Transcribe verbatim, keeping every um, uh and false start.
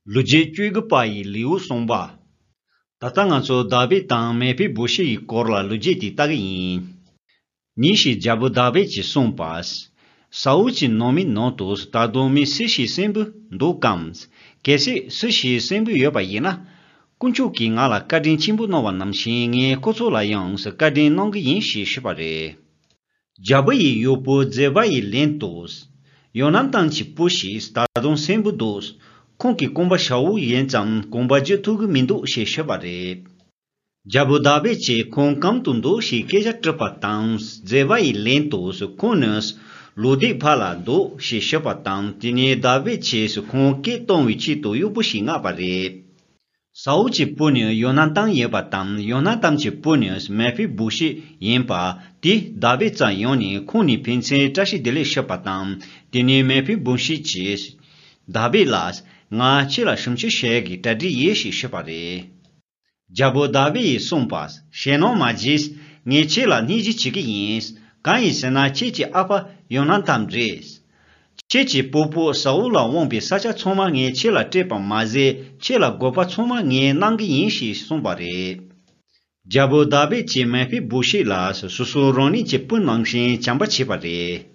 ལོ་རྒྱུས་བཅུ་དགུ་པ་ཡི་ལེའུ་གསུམ་པ། ད་ལྟ་ང་ཚོ་དཱ་བིད་དང་མེ་ཕི་བོ་ཤེད་ཀྱི་སྐོར་ལ་ལོ་རྒྱུས་དེ་ལྟ་གི་ཡིན། ཉིན་ཞིག་རྒྱལ་པོ་དཱ་བིད་ཀྱིས་གསུངས་པ། ས་ཨུལ་གྱི་ནང་མི་ནང་དུ་ད་དུང་མི་སུ་ཞིག་གསོན་པོ་འདུག་གམ། གལ་སྲིད་སུ་ཞིག་གསོན་པོ་ཡོད་པ་ཡིན་ན། དཀོན་མཆོག་གིས་ང་ལ་བཀའ་དྲིན་ཆེན་པོ་གནང་བ་ནང་བཞིན་ངས་ཁོ་ཚོ་ལ་ཡང་བཀའ་དྲིན་གནང་གི་ཡིན་ཞེས་ཞུས་པ་རེད། རྒྱལ་པོ་ཡི་གཡོག་པོ་ཛེ་བ་ཡི་ལན་དུ། ཡོ་ན་ཐན་གྱི་བུ་ཞིག་ད་དུང་གསོན་པོ་འདུག་ཁོང་གི་རྐང་པ་ཞ་བོ་ཡིན་ཙང་རྐང་པ་འཇུ་ཐུབ་ཀྱི་མི་འདུག་ཞེས་ཤོད་པ་རེད། རྒྱལ་པོ་དཱ་བིད་ཀྱིས་ཁོང་གང་དུ་འདུག་ཞེས་སྐད་ཆ་དྲིས་པ་དང་ཛེ་བ་ཡི་ལན་དུ་ཁོང་ནི་ལོ་ཟླའི་ཕ་ལ་འདུག་ཞེས་ཤོད་པ་དང་དེ་ནས་དཱ་བིད་ཀྱིས་ཁོང་སྐད་གཏོང་བའི་ཆེད་དུ་གཡོག་པོ་ཞིག་མངགས་པ་རེད། ས་ཨུལ་གྱི་བུ་ནི་ཡོ་ན་ཐན་ཡིན་པ་དང་ཡོ་ན་ཐན་གྱི་བུ་ནི་མེ་ཕི་བོ་ཤེད་ཡིན་པ་དེ་དཱ་བིད་རྩར་ཡོང་ནས་ཁོང་ནས་ཕན་ཚུན་བཀྲ་ཤིས་བདེ་ལེགས་ཞུས་པ་དང་དེ་ནས་མེ་ཕི་བོ་ཤེད་ཀྱིས་དཱ་བིད་ལ་ང་ཁྱེད་ལ་ཞབས་ཕྱི་བྱེད་ཀྱི་གྲ་སྒྲིག་ཡོད་ཞེས་ཞུས་པ་རེད། རྒྱལ་པོ་དཱ་བིད་ཡིས་གསུངས་པ། ཞེད་སྣང་མ་བྱེད། ངས་ཁྱེད་ལ་སྣེ་ཞིབ་བྱེད་ཀྱི་ཡིན། གང་ཡིན་ཟེར་ན་ཁྱེད་ཀྱི་ཨ་ཕ་ཡོ་ན་ཐན་རེད། ཁྱེད་ཀྱི་སྤོ་བོ་ས་ཨུལ་ལ་དབང་པའི་ས་ཆ་ཚང་མ་ངས་ཁྱེད་ལ་སྤྲད་པ་མ་ཟད་ཁྱེད་ལ་དགོས་པ་ཚང་མ་ངས་གནང་གི་ཡིན་ཞེས་གསུངས་པ་རེད། རྒྱལ་པོ་དཱ་བིད་ཀྱིས་མེ་ཕི་བོ་ཤེད་ལ་སོ་སོ་རང་ཉིད་ཀྱི་བུ་ནང་བཞིན་བྱམས་པ་བྱས་པ་རེད།